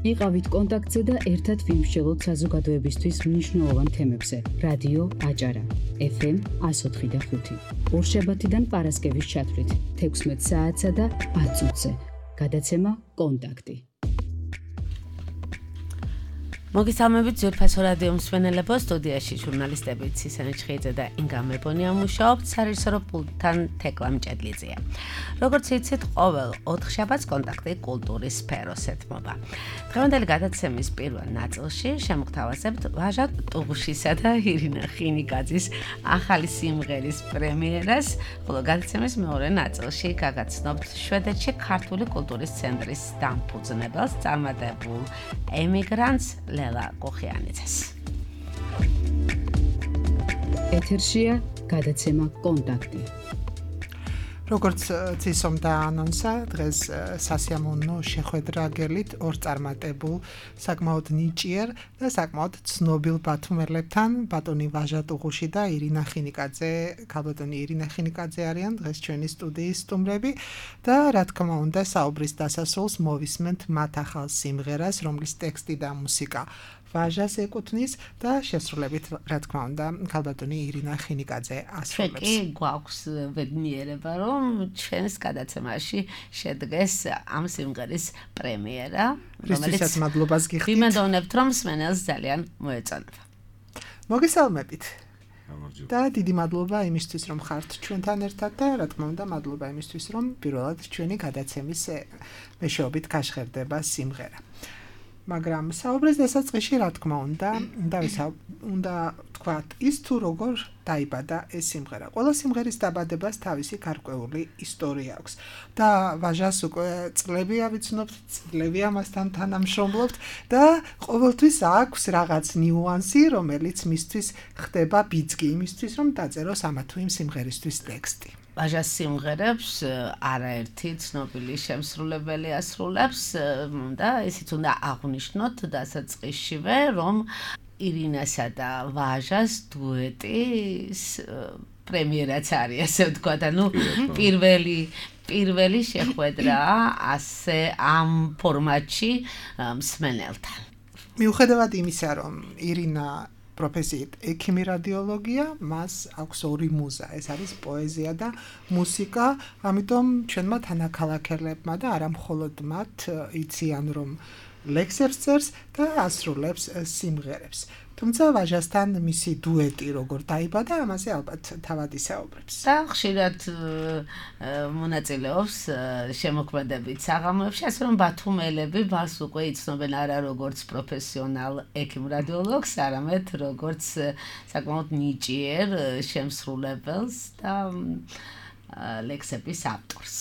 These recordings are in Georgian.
იყავით კონტაქტზე და ერთად ვიმსჯელოთ საზოგადოებისთვის მნიშვნელოვან თემებზე. რადიო აჭარა, FM 104.5. ორშაბათიდან პარასკევის ჩათვლით 16 საათსა და 10 წუთზე. გადაცემა კონტაქტი. მოგესალმებით ძვირფასო რადიო მსმენელებო, სტუდიაში ჟურნალისტები ცისანი ჩხიძე და ინგა მებონია მუშაობთ, სარეჟისორო პულტთან თეკლა მჭედლიძეა. როგორც იცით, ყოველ 4 შაბათს კონტაქტი კულტურის სფეროს ეთმობა. დღევანდელი გადაცემის პირველ ნაწილში შემოგთავაზებთ ვაჟა ტუღუშისა და ირინა ხინიკაძის ახალი სიმღერის პრემიერას, ხოლო გადაცემის მეორე ნაწილში გაგაცნობთ შვედეთში ქართული კულტურის ცენტრის დამფუძნებელს, წარმატებულ ემიგრანტს ლელა კოხიანიძეს. ეთერშია გადაცემა კონტაქტი. როგორც ცისომ დაანონსა, დღეს სასიამოვნო შეხვედრა გელით ორ წარმატებულ, საკმაოდ ნიჭიერ და საკმაოდ ცნობილ ბათუმელებთან, ბატონი ვაჟა ტუღუში და ირინა ხინიკაძე, ქალბატონი ირინა ხინიკაძე არიან დღეს ჩვენი სტუდიის სტუმრები და რა თქმა უნდა, საუბრის დასასრულს მოვისმენთ მათ ახალ სიმღერას, რომლის ტექსტი და მუსიკა ვაჟას ეკუთვნის და შესრულებით, რა თქმა უნდა, ქალბატონი ირინა ხინიკაძე ასრულებს. კი, გვაქვს ბედნიერება, რომ ჩვენს გადაცემაში შედგეს ამ სიმღერის პრემიერა, რომელსაც მადლობას გიხდით. ვიმედოვნებთ, რომ მსმენელს ძალიან მოეწონება. მოგესალმებით. და დიდი მადლობა იმისთვის, რომ ხართ ჩვენთან ერთად და რა თქმა უნდა, მადლობა იმისთვის, რომ პირველად ჩვენი გადაცემის მეშვეობით გაშხერდება სიმღერა. მაგრამ საუბრის დასაწყისში, რა თქმა უნდა თქვათ ის თუ როგორ დაიბადა ეს სიმღერა. ყველა სიმღერის დაბადებას თავისი გარკვეული ისტორია აქვს და ვაჟას უკვე წლებია ვიცნობთ, წლებია მასთან თანამშრომლობთ და ყოველთვის აქვს რაღაც ნიუანსი, რომელიც მისთვის ხდება ბიძგი, იმისთვის რომ დაწეროს ამა თუ იმ სიმღერისთვის ტექსტი. ვაჟას სიმღერებს არაერთი ცნობილი შემსრულებელი ასრულებს და ისიც უნდა აღვნიშნოთ დასაწყისშივე, რომ ირინასა და ვაჟას დუეტის პრემიერაც არის, ასე ვთქვათ, ანუ პირველი შეხვედრა ასე ამ ფორმატში მსმენელთან. მიუხედავად იმისა, რომ ირინა პროფესიით ექიმი რადიოლოგია, მას აქვს ორი მუზა, ეს არის პოეზია და მუსიკა, ამიტომ ჩვენმა თანაქალაქელებმა და არა მხოლოდ მათ იციან, რომ ლექსებს წერს და ასრულებს სიმღერებს. თუმცა ვაჟასთან მისი დუეტი როგორ დაიბადა, ამაზე ალბათ თავად ისაუბრებს. და ხშირად მონაწილეობს შემოქმედებით საღამოებში, ასე რომ ბათუმელები მას უკვე იცნობენ არა როგორც პროფესიონალ ექიმ რადიოლოგს, არამედ როგორც საკმაოდ ნიჭიერ შემსრულებელს და ლექსების ავტორს.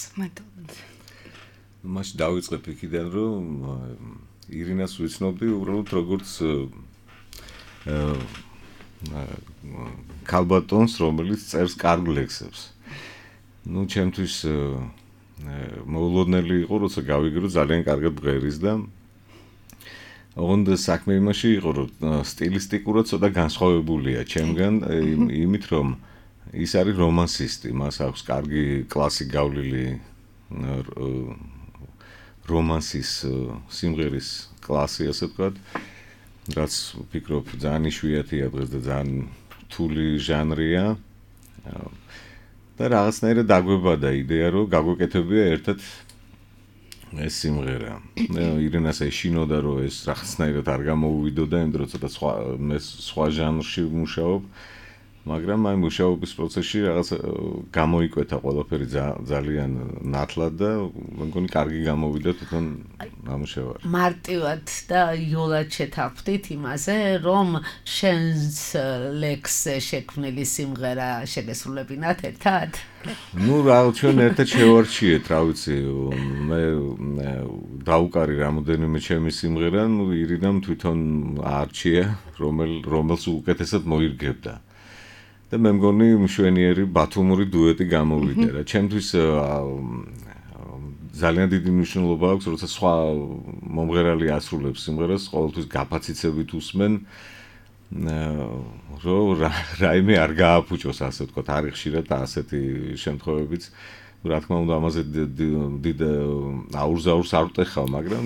მაშინ დავიწყებ იქიდან, რომ ირინას ვიცნობდი უბრალოდ როგორც ქალბატონს, რომელიც წერს კარგ ლექსებს. ჩემთვის მოულოდნელი იყო, როცა გავიგე, რომ ძალიან კარგად ბღერის და ოღონდ საქმე იმაში იყო, რომ სტილისტიკურად ცოტა განსხვავებულია ჩემგან, იმით რომ ის არის რომანსისტი, მას აქვს კარგი კლასი გავლილი რომანსის სიმღერის კლასი, ასე ვთქვათ. რაც ვფიქრობ ძალიან იშვიათია დღეს და ძალიან რთული ჟანრია და რაღაცნაირად დაგვებადა იდეა, რომ გაგვეკეთებია ერთად ეს სიმღერა. ირინას ეშინოდა, რომ ეს რაღაცნაირად არ გამოუვიდოდა, იმიტომ რომ ცოტა სხვა ჟანრში ვმუშაობ, მაგრამ აი მუშაობის პროცესში რაღაც გამოიკვეთა ყველაფერი ძალიან ნათლად და მე მგონი კარგი გამოვიდა თვითონ ამუშავარი. მარტივად და იოლად შეთანხმდით იმაზე, რომ შენს ლექსზე შექმნილი სიმღერა შეგესრულებინათ ერთად? ჩვენ ერთად შევარჩიეთ, რა ვიცი, მე დაუკარი რამოდენიმე ჩემი სიმღერა, ირინამ თვითონ აარჩია, რომელს უკეთესად მოირგებდა. და მე მგონი მშვენიერი ბათუმური დუეტი გამოვიდა რა. ჩემთვის ძალიან დიდი მნიშვნელობა აქვს, როცა სხვა მომღერალი ასრულებს სიმღერას, ყოველთვის გაფაციცებით უსმენ, რომ რაიმე არ გააფუჭოს, ასე ვთქვათ, არის ხშირად ასეთი შემთხვევებიც. რა თქმა უნდა, ამაზე დიდ აურზაურს არ ვტეხავ, მაგრამ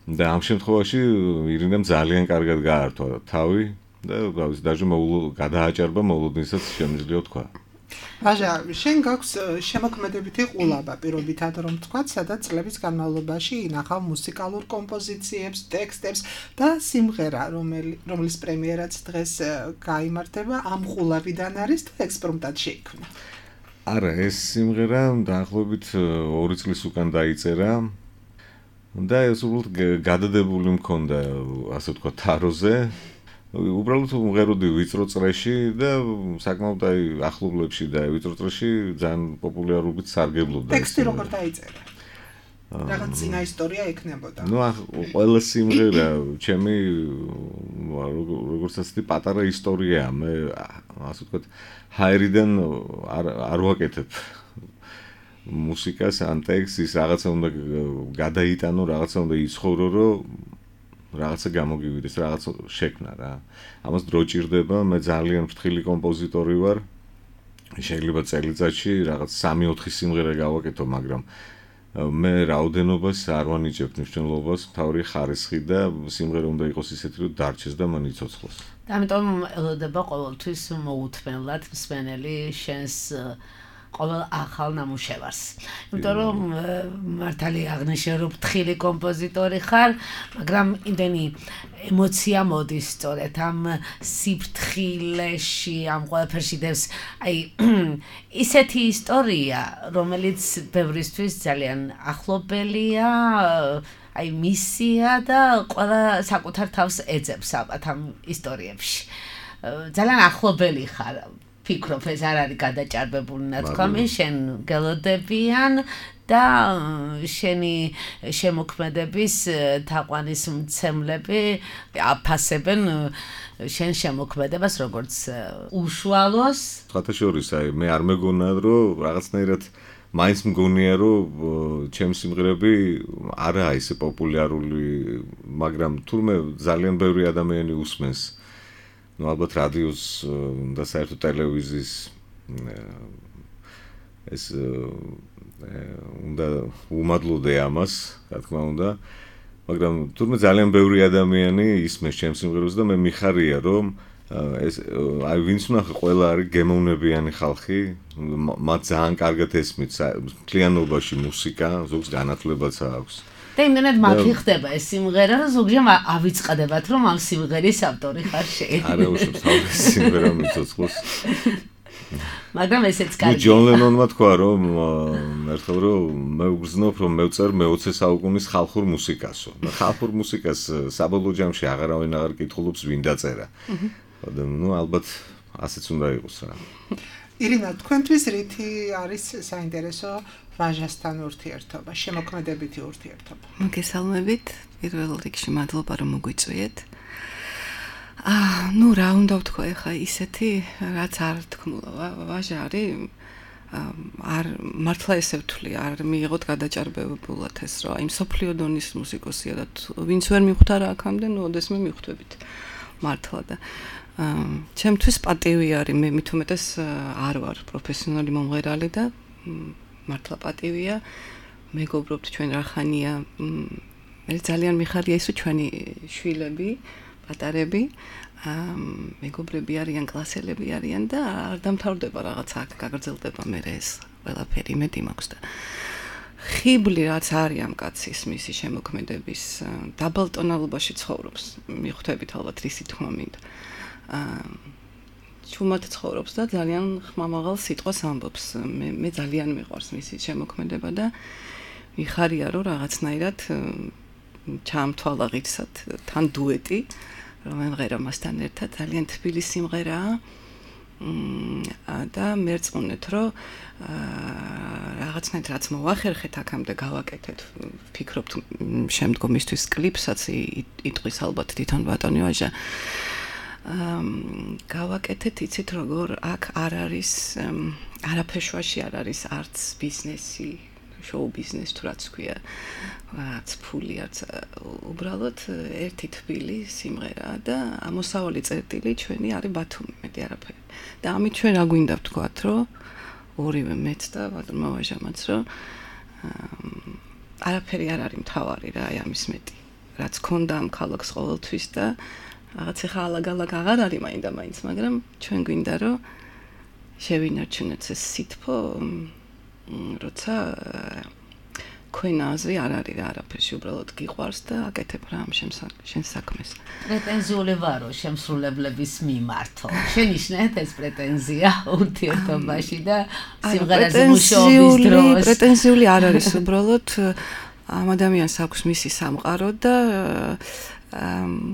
და ამ შემთხვევაში ირინამ ძალიან კარგად გაართვა თავი და გავიც დაჟე გადააჭარბა მოულოდნელსაც შემიძლია თქვა. ვაჟა, შენ გაქვს შემოქმედებითი ყულაბა, პირობითად რომ თქვა, სადაც წლების განმავლობაში ინახავ მუსიკალურ კომპოზიციებს, ტექსტებს და სიმღერა, რომლის პრემიერაც დღეს გაიმართება, ამ ყულაბიდან არის თუ ექსპრომტად შეიქმნა? არა, ეს სიმღერა დაახლოებით 2 წლის უკან დაიწერა და ეს უბრალოდ გადადებული მქონდა, ასე ვთქვა, თაროზე. უბრალოდ მღეროდი ვიწრო წრეში და საკმაოდ ახლობლებში და ვიწრო წრეში ძალიან პოპულარობით სარგებლობდა. ტექსტი როგორ დაიწერა? რაღაც წინა ისტორია ექნებოდა. ყველა სიმღერა ჩემი როგორც ასეთი პატარა ისტორიაა. მე ასე ვთქვათ, ჰაერიდან არ ვაკეთებ მუსიკას ან ტექსტს, რაღაცა უნდა გადაიტანო, რაღაცა უნდა იცხოვრო, რომ რაღაცა გამოგივიდეს, რაღაცა შექმნა რა. ამას დრო ჭირდება, მე ძალიან ფრთხილი კომპოზიტორი ვარ. შეიძლება წელიწადში რაღაც 3-4 სიმღერა გავაკეთო, მაგრამ მე რაოდენობას არ ვანიჭებ მნიშვნელობას, თავი ხარისხი და სიმღერა უნდა იყოს ისეთი, რომ დარჩეს და მან იცოცხლოს. და ამიტომ ელოდება ყოველთვის მოუთმენლად მსმენელი შენს ყოველ ახალ ნამუშევარს. იმიტომ რომ მართალი აღნიშნე რომ ფრთხილი კომპოზიტორი ხარ, მაგრამ იმდენი ემოცია მოდის სწორედ ამ სიფრთხილეში, ამ ყველაფერში დევს, ისეთი ისტორია, რომელიც ბევრისთვის ძალიან ახლობელია, მისია და ყველა საკუთარ თავს ეძებს ალბათ ამ ისტორიებში. ძალიან ახლობელი ხარ. ფიქრობ, ეს არ არის გადაჭარბებული ნათქვამი, შენ გელოდებიან და შენი შემოქმედების თაყვანის მცემლები აფასებენ შენ შემოქმედებას როგორც უშუალოს. ხათაშორის, მე არ მეგონა, რომ რაღაცნაირად მაინც მგონია, რომ ჩემი სიმღერები არაა ისე პოპულარული, მაგრამ თურმე ძალიან ბევრი ადამიანი უსმენს. ალბათ რადიოს და საერთოდ ტელევიზიის ეს უნდა უმადლოდე ამას, რა თქმა უნდა, მაგრამ თურმე ძალიან ბევრი ადამიანი ისმენს ჩემს სიმღერებს და მე მიხარია, რომ ეს ვინც ნახე ყველა არის გემოვნებიანი ხალხი, მათ ძალიან კარგად ესმით მთლიანობაში მუსიკა, ზოგს განათლებაც აქვს. და იმდენად მათი ხდება ეს სიმღერა, რომ ზოგჯერ ავიწყდებათ, რომ ამ სიმღერის ავტორი ხარ შენ. არა, უშავს თავის სიმღერა მიცოცხლოს. მაგრამ ესეც კარგია. ჯონ ლენონმა თქვა, რომ ერთხელ რომ მე ვგრძნობ, რომ მევწერ მე-20 საუკუნის ხალხურ მუსიკასო. და ხალხურ მუსიკას საბოლოო ჯამში აღარავინ აღარ კითხულობს, ვინ დაწერა. და ალბათ ასეც უნდა იყოს რა. ირინა, თქვენთვის რითი არის საინტერესო ვაჟასთან ურთიერთობა, შემოქმედებითი ურთიერთობა? მოგესალმებით, პირველ რიგში მადლობა რომ მოგვიწვიეთ. რა უნდა ვთქვა ახლა ისეთი, რაც არ თქმულა, ვაჟა არის არ მართლა ესე ვთვლი, არ მიიღოთ გადაჭარბებულად ეს რა, იმ სოფლიო დონის მუსიკოსია და ვინც ვერ მიხვდა რა აქამდე, ოდესმე მიხვდებით მართლა და ჩემთვის პატივი არის, მე მით უმეტეს არ ვარ პროფესიონალი მომღერალი და მართლა პატივია, მეგობრობთ ჩვენ რა ხანია, მე ძალიან მიხარია ის, რომ ჩვენი შვილები, პატარები, მეგობრები არიან, კლასელები არიან და არ დამთავრდება რაღაცა, გაგრძელდება მე ეს ყველაფერი, იმედი მაქვს და ხიბლი რაც არის ამ კაცის მისი შემოქმედების დაბალტონალობაში ცხოვრობს, მიხვდებით ალბათ რისი თქმა მინდა. ჩუმად ცხოვრობს და ძალიან ხმამაღალ სიტყვას ამბობს. მე ძალიან მიყვარს მისი შემოქმედება და მიხარია რომ რაღაცნაირად ჩამთვალა ღირსად თან დუეტი, რომ ემღერა მასთან ერთად ძალიან თბილი სიმღერაა. და მერწმუნეთ რომ რაღაცნაირად რაც მოვახერხეთ აქამდე გავაკეთეთ, ფიქრობთ შემდგომისთვის კლიპსაც იტყვის ალბათ თვითონ ბატონი ვაჟა. გავაკეთეთ, იცით როგორ აქ არ არის არაფერშვაში არ არის არც ბიზნესი, შოუ ბიზნეს თუ რაც ქვია, რაც ფული, რაც უბრალოდ ერთი თბილი სიმღერაა და ამოსავალი წერტილი ჩვენი არის ბათუმი, მეტი არაფერი. და ამით ჩვენ რა გვინდა ვთქვათ, რომ ორივე მეც და ბატონმა ვაჟამაც, რომ არაფერი არ არის მთავარი რა, ამის მეტი. რაც ქონდა ამ ქალაქს ყოველთვის და რაღაც ახლა ალაგ-ალაგ აღარ არის მაინდა-მაინც, მაგრამ ჩვენ გვინდა რომ შევინარჩუნოთ ეს სითბო, როცა ქვენაზე არ არის რა არაფერში, უბრალოდ გიყვარს და აკეთებ რა ამ შენ საქმეს. პრეტენზიული ვარო შემსრულებლების მიმართო. შენიშნეთ ეს პრეტენზია ურთიერთობაში და სიმღერაზე მუშაობის დროს. პრეტენზიული არ არის, უბრალოდ ამ ადამიანს აქვს მისი სამყარო და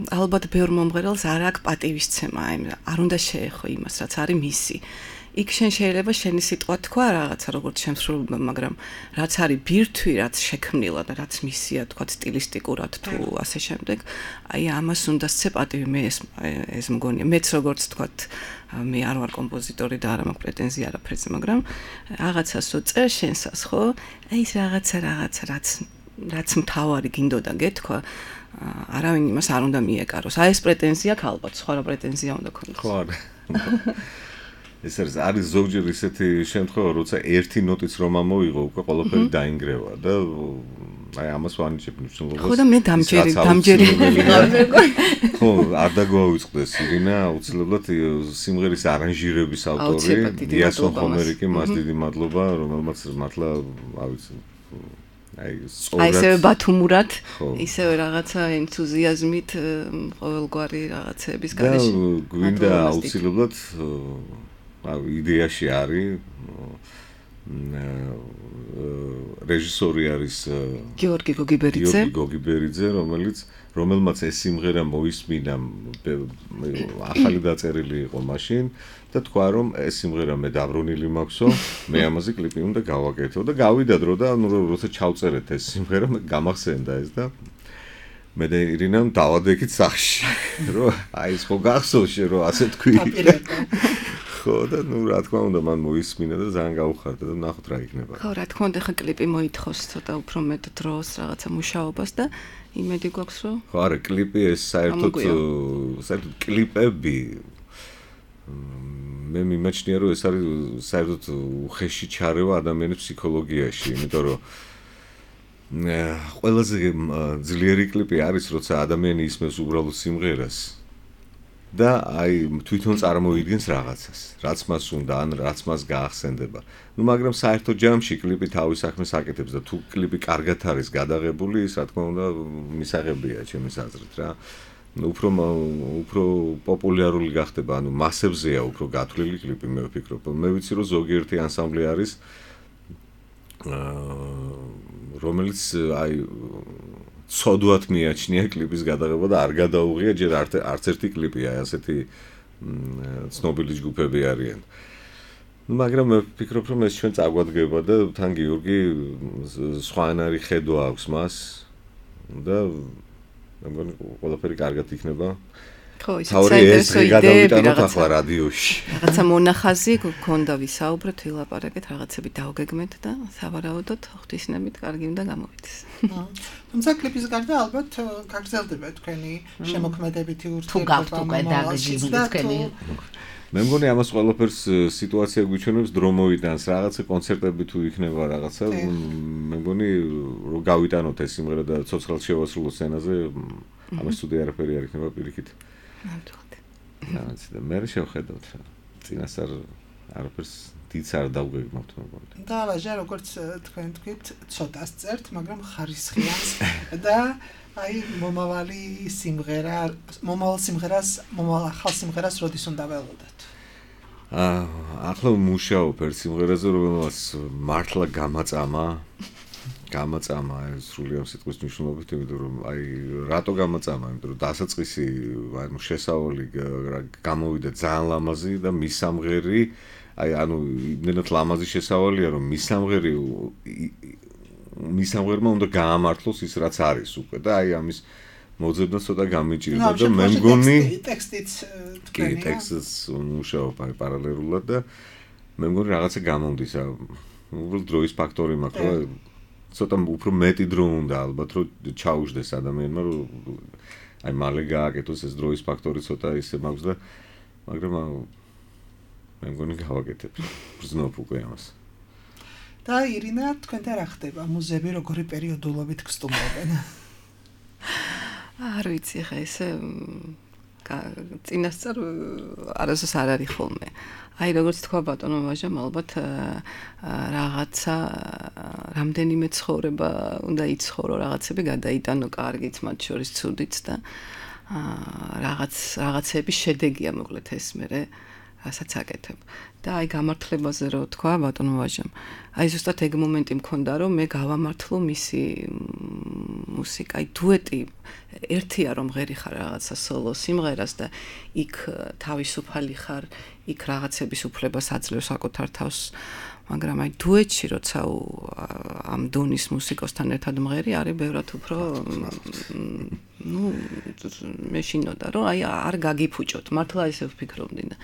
ალბათ ბევრ მომღერალს არ აქვს პატივისცემა, არ უნდა შეეხო იმას, რაც არის მისი. იქ შენ შეიძლება შენი სიტყვა თქვა რაღაცა როგორც შემსრულებელმა, მაგრამ რაც არის ბირთვი, რაც შექმნილა და რაც მისია თქვა სტილისტიკურად თუ ასე შემდეგ, აი ამას უნდა სცე პატივი. მე ეს მგონია, მეც როგორც თქვა, მე არ ვარ კომპოზიტორი და არ მაქვს პრეტენზია არაფერზე, მაგრამ რაღაცას უწერ შენსას, ხო? აი ეს რაღაცა რაც მთავარი გინდოდა გეთქვა, არავინ იმას არ უნდა მიეკაროს. აი ეს პრეტენზია აქვს ალბათ, სხვა რა პრეტენზია უნდა ქონდეს. ხო არა. ეს არის ზოგჯერ ისეთი შემთხვევა, როცა ერთი ნოტიც რომ ამოიღო, უკვე ყველაფერი დაინგრევა და აი ამას ვანიჭებ მნიშვნელობას. ხო და მე დამჯერი. ხო, არ დაგვაუწყდეს ირინა, აუცილებლად სიმღერის არანჟირების ავტორი, იასონ ხომერიკი, მას დიდი მადლობა, რომელმაც მართლა, ავიცი, აი ისევე ბათუმურად, ისევე რაღაცა ენთუზიაზმით ყოველგვარი რაღაცების გარეშე. და გვინდა აუცილებლად იდეაში არის რეჟისორი არის გიორგი გოგიბერიძე, რომელმაც ეს სიმღერა მოისმინა, ახალი დაწერილი იყო მაშინ და თქვა რომ ეს სიმღერა მე დაბრუნილი მაქვსო, მე ამაზე კლიპი უნდა გავაკეთო და გავიდა დრო და როცა ჩავწერეთ ეს სიმღერა, გამახსენდა ეს და მე და ირინამ დავადექით სახში, რომ აი ეს ხო გახსოვს რომ ასე თქვი. ხო და რა თქმა უნდა მან მოისმინა და ძალიან გაუხარდა და ნახოთ რა იქნება. ხო, რა თქმა უნდა, ხა კლიპი მოითხოვს ცოტა უფრო მეტ დროს, რაღაცა მუშაობას და იმედი გვაქვს რომ ხო, არა, კლიპი ეს საერთოდ კლიპები მე მიმაჩნია რომ ეს არის საერთოდ უხეში ჩარევა ადამიანის ფსიქოლოგიაში, იმიტომ რომ ყველაზე ძლიერი კლიპი არის, როცა ადამიანი ისმევს უბრალოდ სიმღერას და აი თვითონ წარმოიდგენს რაღაცას, რაც მას უნდა, ან რაც მას გაახსენდება. ნუ მაგრამ საერთო ჯამში კლიპი თავის საქმეს აკეთებს და თუ კლიპი კარგად არის გადაღებული, ის რა თქმა უნდა მისაღებია ჩემის აზრით რა. უფრო პოპულარული გახდება, ანუ მასებზეა უფრო გათვლილი კლიპი, მე ვფიქრობ. მე ვიცი რომ ზოგიერთი ანსამბლი არის რომელიც აი ცოდვათ მიაჩნია კლიპის გადაღება და არ გადაუღია ჯერ არც ერთი კლიპი, აი ასეთი ცნობილი ჯგუფები არიან. მაგრამ მე ვფიქრობ რომ ეს ჩვენ წაგვადგება და თან გიორგი სხვანაირი ხედვა აქვს მას და მე მგონი ყველაფერი კარგად იქნება. ხო, საინტერესო იდეები რაღაცა რადიოში. რაღაცა მონახაზი გქონდა ვისაუბროთ, ვილაპარაკეთ, რაღაცები დავგეგმეთ და სავარაუდოდ ღვთისნებით კარგი უნდა გამოვიდეს. თუმცა კლიპის გარდა ალბათ გაგრძელდება თქვენი შემოქმედებითი ურთიერთობა. თუ გაქვთ უკვე დაგეგმილი თქვენი. მე მგონი ამას ყველაფერს სიტუაცია გვიჩვენებს, დრო მოიტანს, რაღაცა კონცერტები თუ იქნება რაღაცა, მე მგონი რომ გავიტანოთ ეს სიმღერა და ცოცხლად შევასრულოთ სცენაზე, ამას თუ არაფერი არ იქნება პირიქით. ნამდვილად. და მე შევხედავთ რა. წინასწარ არაფერს დიდს არ დავგეგმავთ მეგონი. და ვაჟა როგორც თქვენ თქვით, ცოტას წერთ, მაგრამ ხარისხიანს და აი მომავალ ახალ სიმღერას როდის უნდა ველოდოთ? ახლა მუშაობ ერთ სიმღერაზე, რომელმაც მართლა გამაწამა სრულიად სიტყვის მნიშვნელობით, იმიტომ რომ აი რატო გამაწამა, იმიტომ რომ დასაწყისი ანუ შესავალი გამოვიდა ძალიან ლამაზი და მის სამღერი აი ანუ იმდენად ლამაზი შესავალია რომ მის სამღერმა უნდა გაამართლოს ის რაც არის უკვე და აი ამის მოძებნა ცოტა გამიჭირდა და მე მგონი ტექსტიც თქვენია ტექსტს მუშაობ აი პარალელურად და მე მგონი რაღაცა გამომდის უბრალოდ დროის ფაქტორი მაქვს რომ ცოტა უფრო მეტი დრო უნდა ალბათ რომ ჩაუждდეს ადამიანმა რომ აი მალე გააკეთოს ეს დროის ფაქტორი ცოტა ისე მაქვს და მაგრამ მე მგონი გავაკეთებ ბრძნობ უკვე ამას და ირინა თქვენთან რა ხდება მუზეები როგორი პერიოდულობით გსტუმრობენ არ ვიცი ხა ესე წინასწარ არასდროს არ არის ხოლმე. აი როგორც თქვა ბატონო ვაჟამ, ალბათ რაღაცა რამდენიმე ცხოვრება უნდა იცხოვრო, რაღაცები გადაიტანო კარგიც, მათ შორის ცუდიც და რაღაცების შედეგია მოკლედ ეს მერე რასაც აკეთებ. და აი გამართლებაზე რო თქვა ბატონო ვაჟამ, აი ზუსტად ეგ მომენტი მქონდა, რომ მე გავამართლო მისი მუსიკა, აი დუეტი ერთია რომ ღერი ხარ რაღაცა სოლო სიმღერას და იქ თავისუფალი ხარ, იქ რაღაცების უფლებას აძლევს საკუთარ თავს, მაგრამ აი დუეტში როცა ამ დონის მუსიკოსთან ერთად მღერი არის ბევრად უფრო მე შინოდა რომ აი არ გაგიფუჭოთ, მართლა ესე ვფიქრობდი და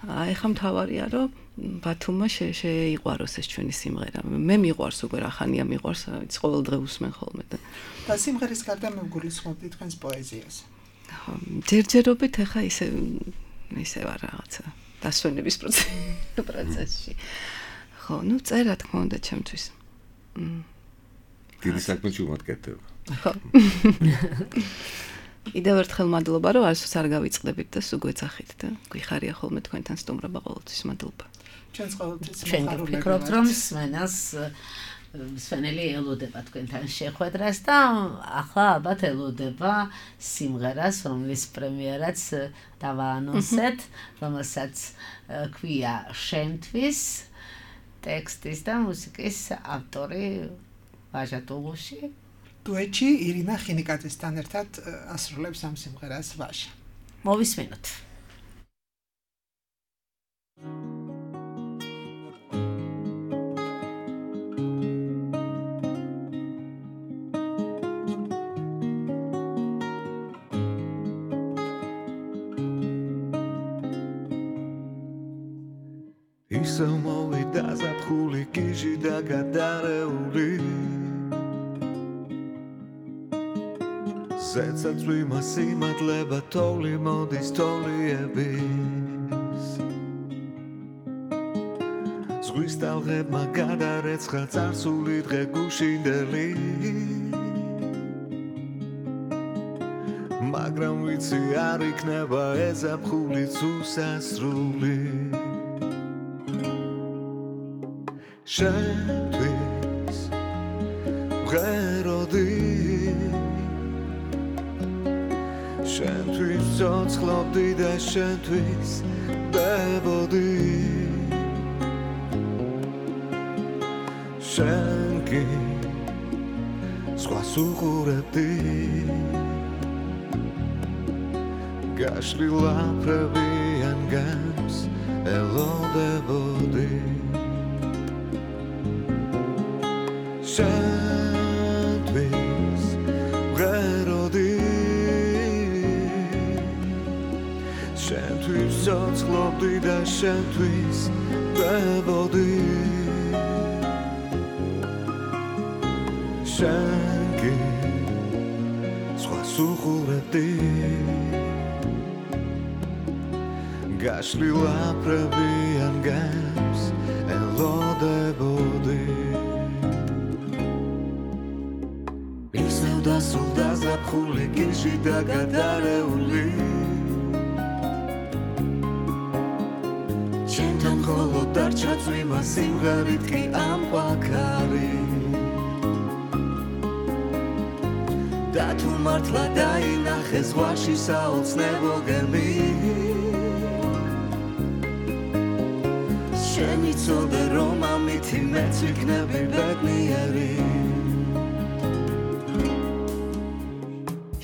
აი ხა მთავარია რომ ბათუმმა შეიყვაროს ეს ჩვენი სიმღერა. მე მიყვარს უკვე რა ხანია მიყვარს, ვიცი ყოველ დღე ვუსმენ ხოლმე და სიმღერის გარდა მე ვგულისხმობდი თქვენს პოეზიას. ჯერჯერობით ახლა ისე ვარ რაღაცა დასვენების პროცესში. ხო, წერა თქმა უნდა ჩემთვის. დიდი საქმე ჩუმატკეთება. ხო. კიდევ ერთხელ მადლობა, რომ არასდროს არ გავიწყდებით და სულ გვეძახით და გვიხარია ხოლმე თქვენთან სტუმრობა ყოველთვის. მადლობა. ჩვენს ყოველთვის ჩვენ ვფიქრობთ, რომ სვენელი ელოდება თქვენთან შეხვედრას და ახლა ალბათ ელოდება სიმღერას, რომლის პრემიერაც დავაანონსეთ, რომელსაც ქვია შენთვის, ტექსტის და მუსიკის ავტორი ვაჟა ტულუში. დუეტში ირინა ხინიკაძესთან ერთად ასრულებს ამ სიმღერას ვაჟა. მოვისმენოთ. ისე მოვიდა ზაფხული გიჟი და გადარეული ზეცაცვი მასიმადლება თოვლი მოდის თოლიების ზღვის ტალღებმა გადარეცხა წარსული დღე გუშინდელი მაგრამ ვიცი არ იქნება ეს ზაფხულიც უსასრული შენთვის ვღეროდი შენთვის ცოცხლობდი და შენთვის დებოდი შენ კი სხვას უყურებდი გაშლილ აფრებიან გემს ელოდებოდი შენთვის ვღეროდი შენთვის ცოცხლობდი და შენთვის დებოდი შენ კი სხვას უყურებდი გაშლილ აფრებიან გემს ელოდებოდი დასულდა ზაფხული გიჟი და გადარეული ჩემთან მხოლოდ დარჩა წვიმა სიმღერით კი ამყვაქარი და თუ მართლა დაინახე ზღვაში საოცნებო გემი შენ იცოდე რომ ამითი მეც ვიქნები ბედნიერი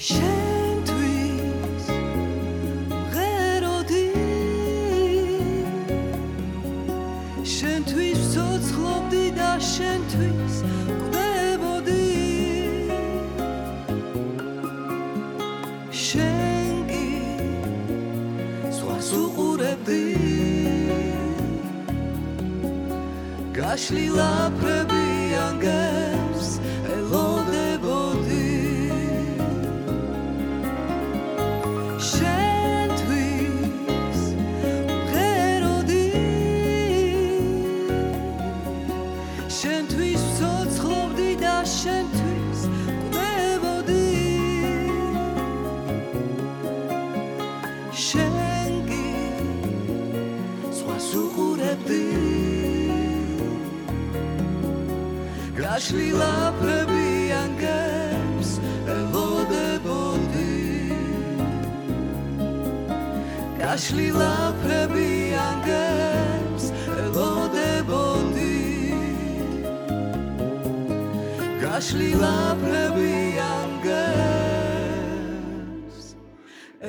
შენთვის ვღეროდი შენთვის ვცოცხლობდი და შენთვის გვდებოდი შენ კი სხვას უყურებდი გაშლილ აფრებიან გემს ელოდებოდი შენთვის გაშლილაფრები ანგებს ელოდებოდი გაშლილაფრები ანგებს ელოდებოდი გაშლილაფრები ანგებს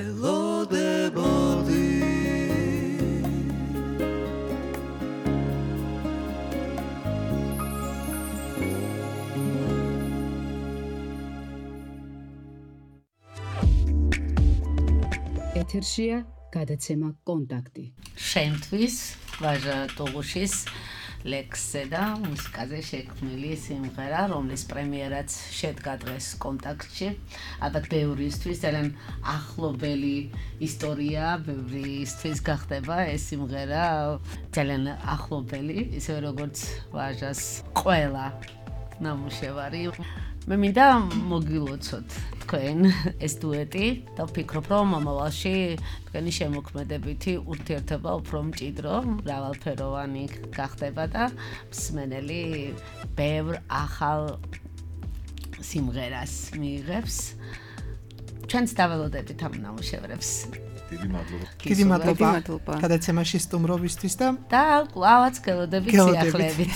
ელოდებოდი ეთერშია გადაცემა კონტაქტი. შენთვის ვაჟა ტუღუშის ლექსზე და მუსიკაზე შექმნილი სიმღერა, რომლის პრემიერაც შედგა დღეს კონტაქტში. ალბათ ბევრისთვის ძალიან ახლობელი ისტორია, ბევრისთვის გახდება ეს სიმღერა ძალიან ახლობელი, ისევე როგორც ვაჟას ყველა ნამუშევარი. მე მინდა მოგილოცოთ თქვენ ეს დუეტი და ვფიქრობ, რომ მომავალში თქვენი შემოქმედებითი ურთიერთობა უფრო მჭიდრო, მრავალფეროვანი გახდება და მსმენელი ბევრ ახალ სიმღერას მიიღებს. ჩვენც დაველოდებით ამ ნამუშევრებს. დიდი მადლობა გადაცემაში სტუმრობისთვის და კვლავაც გელოდებით სიახლეებით.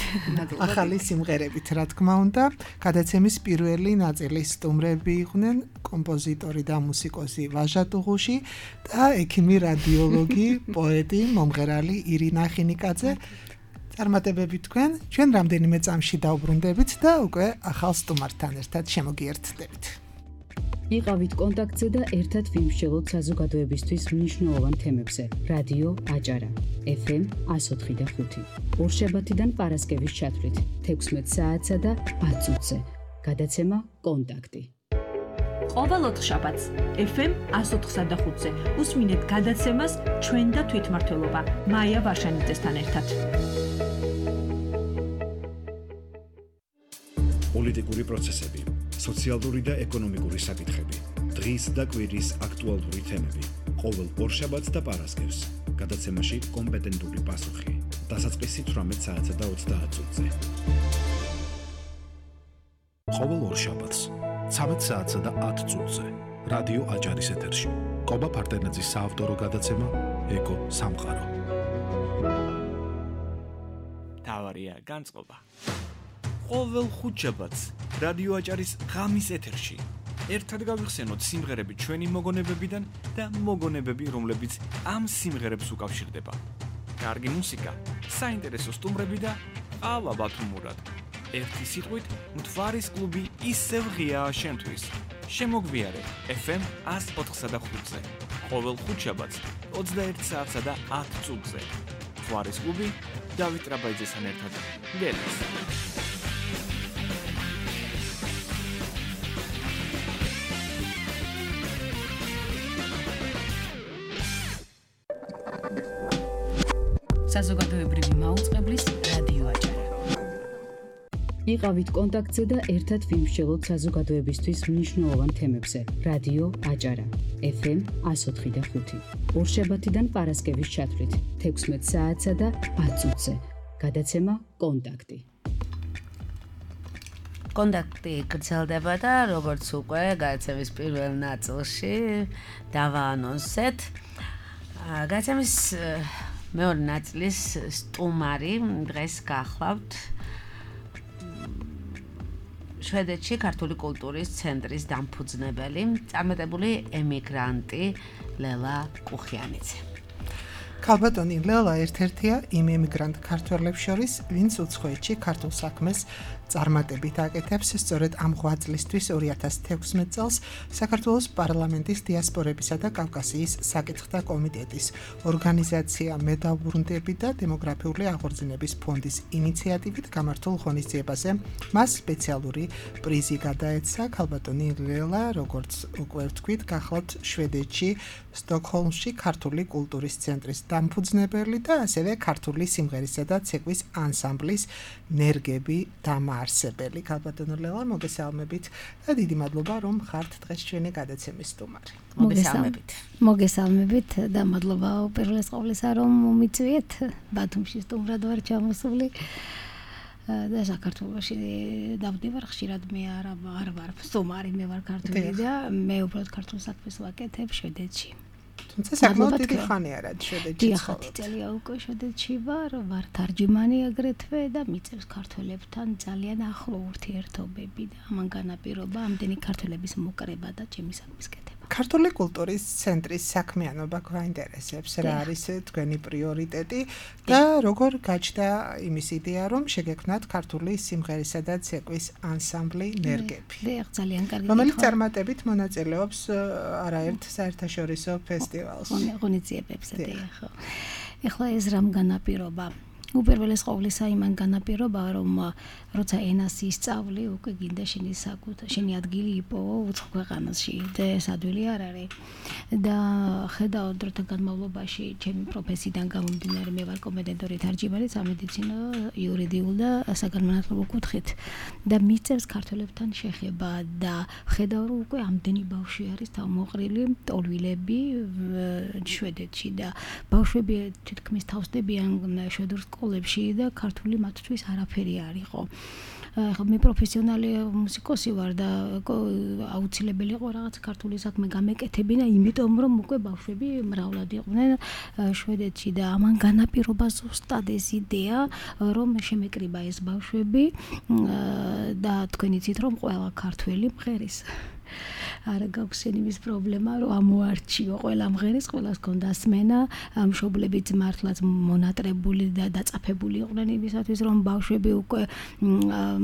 ახალი სიმღერებით, რა თქმა უნდა. გადაცემის პირველი ნაწილის სტუმრები იყვნენ კომპოზიტორი და მუსიკოსი ვაჟა ტუღუში და ექიმი რადიოლოგი, პოეტი, მომღერალი ირინა ხინიკაძე. წარმატებები თქვენ, ჩვენ რამდენიმე წამში დაუბრუნდებით და უკვე ახალ სტუმართან ერთად შემოგიერთდებით. იყავით კონტაქტზე და ერთად ვიმსჯელოთ საზოგადოებისთვის მნიშვნელოვან თემებზე. რადიო აჭარა, FM 104.5. ორშაბათიდან პარასკევის ჩათვლით 16 საათსა და 10 წუთზე. გადაცემა კონტაქტი. ყოველ ოთხშაბათს FM 104.5-ზე უსმინეთ გადაცემას ჩვენ და თვითმმართველობა მაია ვარშანიძესთან ერთად. პოლიტიკური პროცესები, სოციალური და ეკონომიკური საკითხები, დღის და კვირის აქტუალური თემები. ყოველ ორშაბათს და პარასკევს გადაცემაში კომპეტენტური პასუხი. დასაწყისი 18 საათსა და 30 წუთზე. ყოველ ორშაბათს 13 საათსა და 10 წუთზე რადიო აჭარის ეთერში. კობა ფარდენაძის საავტორო გადაცემა ეკო სამყარო. თავარია განწყობა. ყოველ ხუთშაბათს რადიო აჭარის ღამის ეთერში ერთად გავიხსენოთ სიმღერები ჩვენი მოგონებებიდან და მოგონებები, რომლებიც ამ სიმღერებს უკავშირდება. კარგი მუსიკა, საინტერესო სტუმრები და ყალაბათ ჰუმორად. ერთი სიტყვით, მთვარის კლუბი ისევ ღიაა შენთვის. შემოგვიარე FM 104.5-ზე. ყოველ ხუთშაბათს 21 საათსა და 10 წუთზე. მთვარის კლუბი დავით რაბაიძესთან ერთად. გელს. საზოგადოებრივი მაუწყებლის რადიო აჭარა. იყავით კონტაქტზე და ერთად ვიმსჯელოთ საზოგადოებისთვის მნიშვნელოვან თემებზე. რადიო აჭარა, FM 104.5. ორშაბათიდან პარასკევის ჩათვლით 16 საათსა და 10 წუთზე. გადაცემა კონტაქტი. კონტაქტი გრძელდება და როგორც უკვე გადაცემის პირველ ნაწილში დავაანონსეთ. გადაცემის მეორე ნაწილის სტუმარი დღეს გახლავთ შვედეთში ქართული კულტურის ცენტრის დამფუძნებელი, წარმატებული ემიგრანტი ლელა კუხიანიძე. ქალბატონი ლელა ერთ-ერთია იმ ემიგრანტ ქართველებს შორის, ვინც უცხოეთში ქართულ საქმეს წარმატებით აკეთებს. სწორედ ამ ღვაწლისთვის 2016 წელს საქართველოს პარლამენტის დიასპორებისა და კავკასიის საკითხთა კომიტეტის ორგანიზაცია მე დავბრუნდები და დემოგრაფიული აღორძინების ფონდის ინიციატივით გამართულ ღონისძიებაზე მას სპეციალური პრიზი გადაეცა. ქალბატონი ლელა, როგორც უკვე ვთქვით, გახლავთ შვედეთში, სტოკჰოლმში ქართული კულტურის ცენტრის დამფუძნებელი და ასევე ქართული სიმღერისა და ცეკვის ანსამბლის ნერგები დამაარსებელი. ქალბატონო ლელა, მოგესალმებით და დიდი მადლობა, რომ ხართ დღეს ჩვენი გადაცემის სტუმარი. მოგესალმებით და მადლობა უპირველეს ყოვლისა, რომ მომიწვიეთ. ბათუმში სტუმრად ვარ ჩამოსული. და საქართველოში დავდივარ ხშირად მე არ ვარ სტუმარი მე ვარ ქართული და მე უბრალოდ ქართულ საქმეს ვაკეთებ შვედეთში თუმცა საკმაოდ დიდი ხანია რა შვედეთში ცხოვრობ. 10 წელია უკვე შვედეთში ვარ თარჯიმანი აგრეთვე და მიწევს ქართველებთან ძალიან ახლო ურთიერთობები და ამან განაპირობა ამდენი ქართველების მოკრება და ჩემი საქმის კეთება. ქართული კულტურის ცენტრის საქმიანობა გვაინტერესებს, რა არის თქვენი პრიორიტეტი და როგორ გაჩნდა იმის იდეა, რომ შეგექმნათ ქართული სიმღერისა და ცეკვის ანსამბლი ნერგები. ძალიან კარგი. რომელიც წარმატებით მონაწილეობს არაერთ საერთაშორისო ფესტივალს. ღონისძიებებზე, ხო. ეხლა ეს რამ განაპირობა? უპირველეს ყოვლისა იმან განაპირობა, რომ როცა ენას ისწავლი, უკვე გინდა შენი ადგილი იპოვო უცხო ქვეყანაში და ეს ადვილი არ არის. და ხედავ დროთა განმავლობაში ჩემი პროფესიიდან გამომდინარე მე ვარ კომპეტენტური თარჯიმანი სამედიცინო, იურიდიულ და საგანმანათლებლო კუთხით და მიწევს ქართველებთან შეხება და ხედავ რომ უკვე ამდენი ბავშვი არის თავმოყრილი ტოლვილები შვედეთში და ბავშვები თითქმის თავსდებიან შვედურ სკოლებში და ქართული მათთვის არაფერი არ იყო. მე პროფესიონალი მუსიკოსი ვარ და აუცილებელი იყო რაღაც ქართული საქმე გამეკეთებინა, იმიტომ რომ უკვე ბავშვები მრავლად იყვნენ შვედეთში და ამან განაპირობა ზუსტად ეს იდეა, რომ შემეკრიბა ეს ბავშვები და თქვენ იცით რომ ყველა ქართველი მღერის. არა გაქვს იმის პრობლემა, რომ ამოარჩიო ყველა მღერის, ყველას ქონდა სმენა, მშობლებიც მართლაც მონატრებული და დაწაფებული იყვნენ იმისათვის, რომ ბავშვები უკვე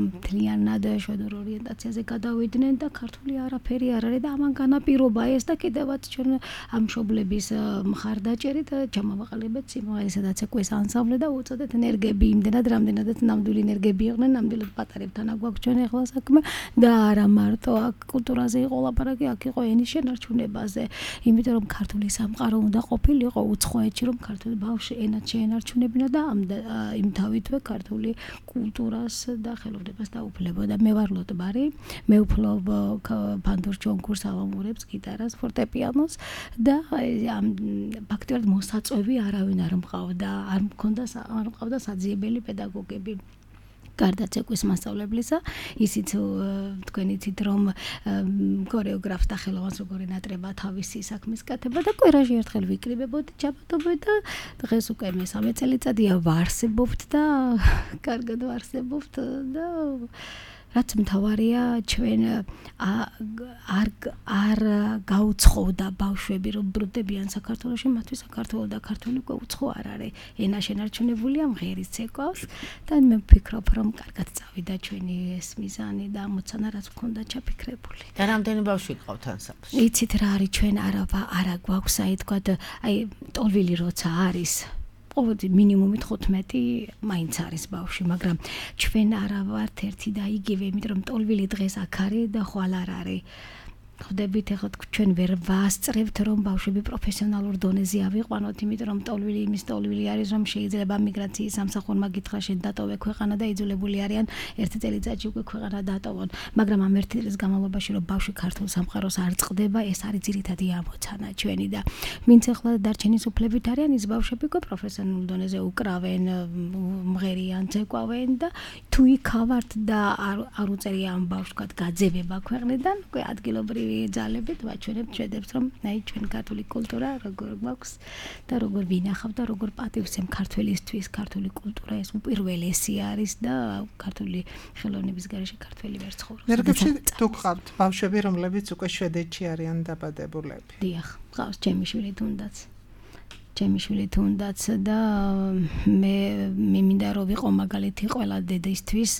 მთლიანად შვედურ ორიენტაციაზე გადავიდნენ და ქართული არაფერი არ არის და ამან განაპირობა ეს და კიდევაც ჩვენ ამ მშობლების მხარდაჭერით ჩამოვაყალიბეთ სიმღერისა და ცეკვის ანსამბლი და უწოდეთ ნერგები, იმდენად რამდენადაც ნამდვილი ნერგები იყვნენ, ნამდვილად პატარებთან აგვაქვს ჩვენ ახლა საქმე და არა მარტო აქ კულტურაზე იყო ლაპარაკი, აქ იყო ენის შენარჩუნებაზე, იმიტომ რომ ქართული სამყარო უნდა ყოფილიყო უცხოეთში, რომ ქართული ბავშვი ენად შეენარჩუნებინა და იმთავითვე ქართული კულტურას და ხელოვნებას დაუფლებოდა. მე ვარ ლოტბარი, მე ვფლობ ფანდურ ჩონქურს, ალამურებს, გიტარას, ფორტეპიანოს და ფაქტობრივად მოსაწვევი არავინ არ მყავდა საძიებელი პედაგოგები. გარდა ცეკვის მასწავლებლისა, ისიც თქვენ იცით რომ ქორეოგრაფს და ხელოვანს როგორ ენატრება თავისი საქმის კეთება და კვირაში ერთხელ ვიკრიბებოდი ჩაბატობი და დღეს უკვე მე-3 წელიწადია ვარსებობთ და კარგად ვარსებობთ და რაც მთავარია ჩვენ არ გაუცხოვდა ბავშვები რომ ბრუნდებიან საქართველოში, მათთვის საქართველო და ქართული უკვე უცხო არ არის. ენა შენარჩუნებულია მღერის ცეკვავს და მე ვფიქრობ რომ კარგად წავიდა ჩვენი ეს მიზანი და ამოცანა რაც მქონდა ჩაფიქრებული. და რამდენი ბავშვი გყავთ ანსამბლში? იცით რა არის ჩვენ არა გვაქვს აი თქვა აი ტოლვილი როცა არის ყოველდღე მინიმუმი 15 მაინც არის ბავშვი, მაგრამ ჩვენ არა ვართ ერთი და იგივე, იმიტომ რომ ტოლვილი დღეს აქ არის და ხვალ არ არის. ხვდებით ახლა ჩვენ ვერ ვასწრებთ რომ ბავშვები პროფესიონალურ დონეზე ავიყვანოთ, იმიტომ რომ ტოლვილი იმის ტოლვილი არის, რომ შეიძლება მიგრაციის სამსახურმა გითხრა შენ დატოვე ქვეყანა და იძულებული არიან ერთი წელიწადში უკვე ქვეყანა დატოვონ, მაგრამ ამ ერთი წლის განმავლობაში რომ ბავშვი ქართულ სამყაროს არ წყდება, ეს არის ძირითადი ამოცანა ჩვენი და ვინც ახლა დარჩენის უფლებით არიან, ის ბავშვები უკვე პროფესიონალურ დონეზე უკრავენ, მღერიან, ცეკვავენ და თუ იქავართ და არ უწერია ამ ბავშვს გაძევება ქვეყნიდან, უკვე ადგილობრივი ძალებით ვაჩვენებთ შვედებს რომ აი ჩვენ ქართული კულტურა როგორ გვაქვს და როგორ ვინახავ და როგორ პატივცემ ქართველისთვის ქართული კულტურა ეს უპირველესი არის და ქართული ხელოვნების გარეშე ქართველი ვერ ცხოვრობს. ნერგებში თუ გყავთ ბავშვები რომლებიც უკვე შვედეთში არიან დაბადებულები? დიახ, გყავს ჩემი შვილი თუნდაც და მე მინდა რომ ვიყო მაგალითი ყველა დედისთვის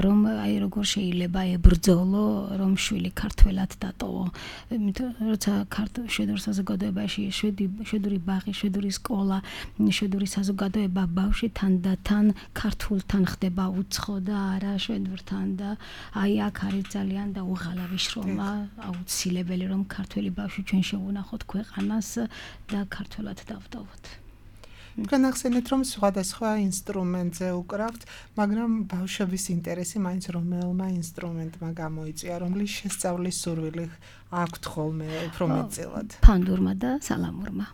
რომ აი როგორ შეიძლება ებრძოლო რომ შვილი ქართველად დატოვო. როცა შვედურ საზოგადოებაში შვედური ბაღი, შვედური სკოლა, შვედური საზოგადოება ბავშვი თანდათან ქართულთან ხდება უცხო და არა შვედურთან და აი აქ არის ძალიან და უღალავი შრომა, აუცილებელი რომ ქართველი ბავშვი ჩვენ შევუნახოთ ქვეყანას და ქართველად დავტოვოთ. განახსენეთ რომ სხვადასხვა ინსტრუმენტზე უკრავთ, მაგრამ ბავშვების ინტერესი მაინც რომელმა ინსტრუმენტმა გამოიწვია, რომლის შესწავლის სურვილი აქვთ ხოლმე უფრო მეტწილად? ფანდურმა და სალამურმა.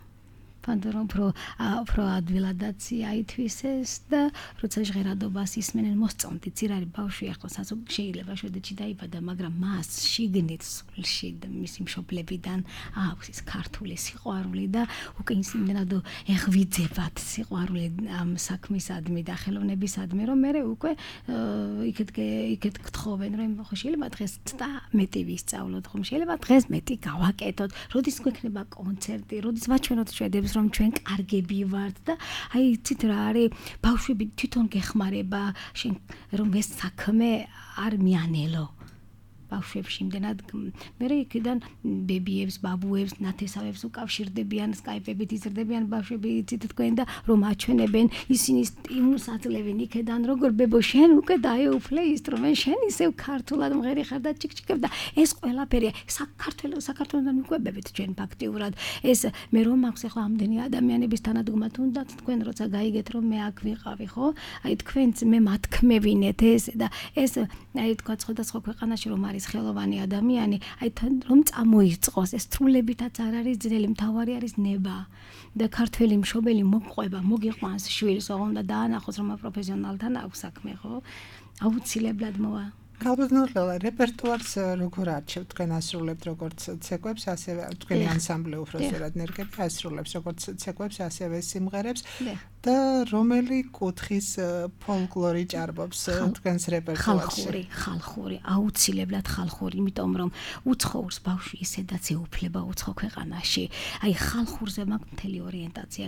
ფანდორ უფრო ადვილადაც აითვისეს და როცა ჟღერადობას ისმენენ მოსწონდით ძირარი ბავშვი ახლა შეიძლება შვედეთში დაიბადა მაგრამ მას შიგნით სულში და მისი მშობლებიდან აქვს ის ქართული სიყვარული და უკვე იმდენად ეღვიძებათ სიყვარული ამ საქმისადმი და ხელოვნებისადმი რომ მე უკვე იქეთ გთხოვენ რომ შეიძლება დღეს და მეტი ვისწავლოთ ხომ შეიძლება დღეს მეტი გავაკეთოთ როდის გვექნება კონცერტი როდის ვაჩვენოთ შვედებს რომ ჩვენ კარგები ვართ და აი იცით რა არის ბავშვები თვითონ გეხმარება შენ რომ ეს საქმე არ მიანელო ბავშვებში იმდენად მე იქიდან ბებიებს, ბაბუებს, ნათესავებს უკავშირდებიან, სკაიპებით იზრდებიან ბავშვები იცით თქვენ და რომ აჩვენებენ ისინი იმულს აძლევენ იქიდან როგორ ბებო შენ უკვე დაეუფლე ინსტრუმენტს შენ ისევ ქართულად მღერი ხარ და ჩიქჩიქებ და ეს ყველაფერი საქართველოსთან მიყვებებით ჩვენ ფაქტიურად ეს მე რომ მაქვს ახლა ამდენი ადამიანების თანადგომა თუნდაც თქვენ როცა გაიგეთ რომ მე აქ ვიყავი ხო აი თქვენც მე მათქმევინეთ ეს და ეს აი თქვა სხვადასხვა ქვეყანაში რომ არის ხელოვანი ადამიანი, აი რომ წამოიწყოს, ეს სრულებითაც არ არის ძნელი, მთავარი არის ნება. და ქართველი მშობელი მოყვება, მოგიყვანს შვილს, ოღონდ დაანახოს რომ პროფესიონალთან აქვს საქმე, ხო? აუცილებლად მოვა. გალბნურლა რეპერტუარს როგორ არჩევთ თქვენ ასრულებთ როგორც ცეკვებს, ასევე თქვენი ანსამბლი უფროსერად ნერგები ასრულებს როგორც ცეკვებს, ასევე სიმღერებს და რომელი კუთხის ფოლკლორი ჭარბობს თქვენს რეპერტუარში? ხალხური, აუცილებლად ხალხური, იმიტომ რომ უცხოურს ბავშვი ისედაც ეუფლება უცხო ქვეყანაში. აი ხალხურზე მაქვს მთელი ორიენტაცია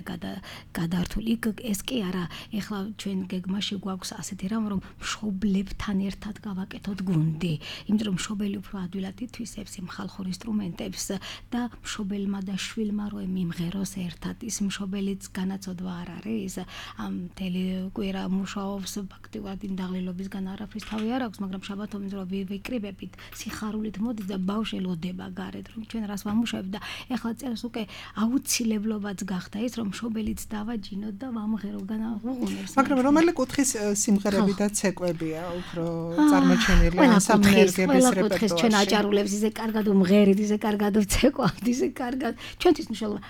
გადართული. ეს კი არა, ეხლა ჩვენ გეგმაში გვაქვს ასეთი რამ რომ მშობლებთან ერთად გავაკეთოთ გუნდი, იმიტომ რომ მშობელი უფრო ადვილად ითვისებს იმ ხალხურ ინსტრუმენტებს და მშობელმა და შვილმა რო მიმღეროს ერთად ის მშობელიც განაცოდვა არ არის ამ მთელი კვირა მუშაობს ფაქტიურად იმ დაღლილობისგან არაფრის თავი არ აქვს მაგრამ შაბათობით რო ვიკრიბებით სიხარულით მოდის და ბავშვი ლოდება გარეთ რომ ჩვენ რას ვამუშავებთ და ეხლა წელს უკვე აუცილებლობაც გახდა ის რომ მშობელიც დავაჯინოთ და ვამღერო განაღუნებს მაგრამ რომელი კუთხის სიმღერები და ცეკვებია უფრო წარმოჩენილი ანსამბლერგების რეპერტუარში ჩვენ აჭარულებს ისე კარგად უმღერით ისე კარგად ვცეკვავთ ისე კარგად ჩვენთვის მნიშვნელობა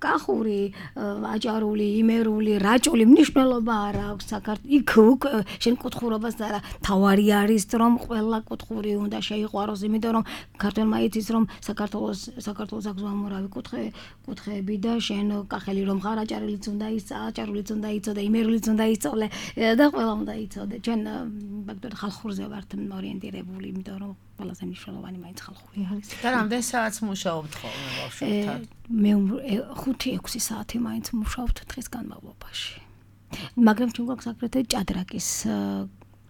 კახური აჭარული იმერული რაჭული მნიშვნელობა არ აქვს იქ შენ კუთხურობას და არა თავარი არის რომ ყველა კუთხური უნდა შეიყვაროს იმიტომ რომ ქართველმა იცის რომ საქართველოს აქვს ამორავი კუთხეები და შენ კახელი რომ ხარ აჭარულიც უნდა აჭარულიც უნდა იცოდე იმერულიც უნდა იცოდე და ყველა უნდა იცოდე ჩვენ ფაქტობრივად ხალხურზე ვართ ორიენტირებული იმიტომ რომ ყველაზე მნიშვნელოვანი მაინც ხალხური არის და რამდენ საათს მუშაობთ ხოლმე ბავშვებთან მე 5-6 საათი მაინც მუშაობთ დღის განმავლობაში მაგრამ ჩვენ გვაქვს აგრეთვე ჭადრაკის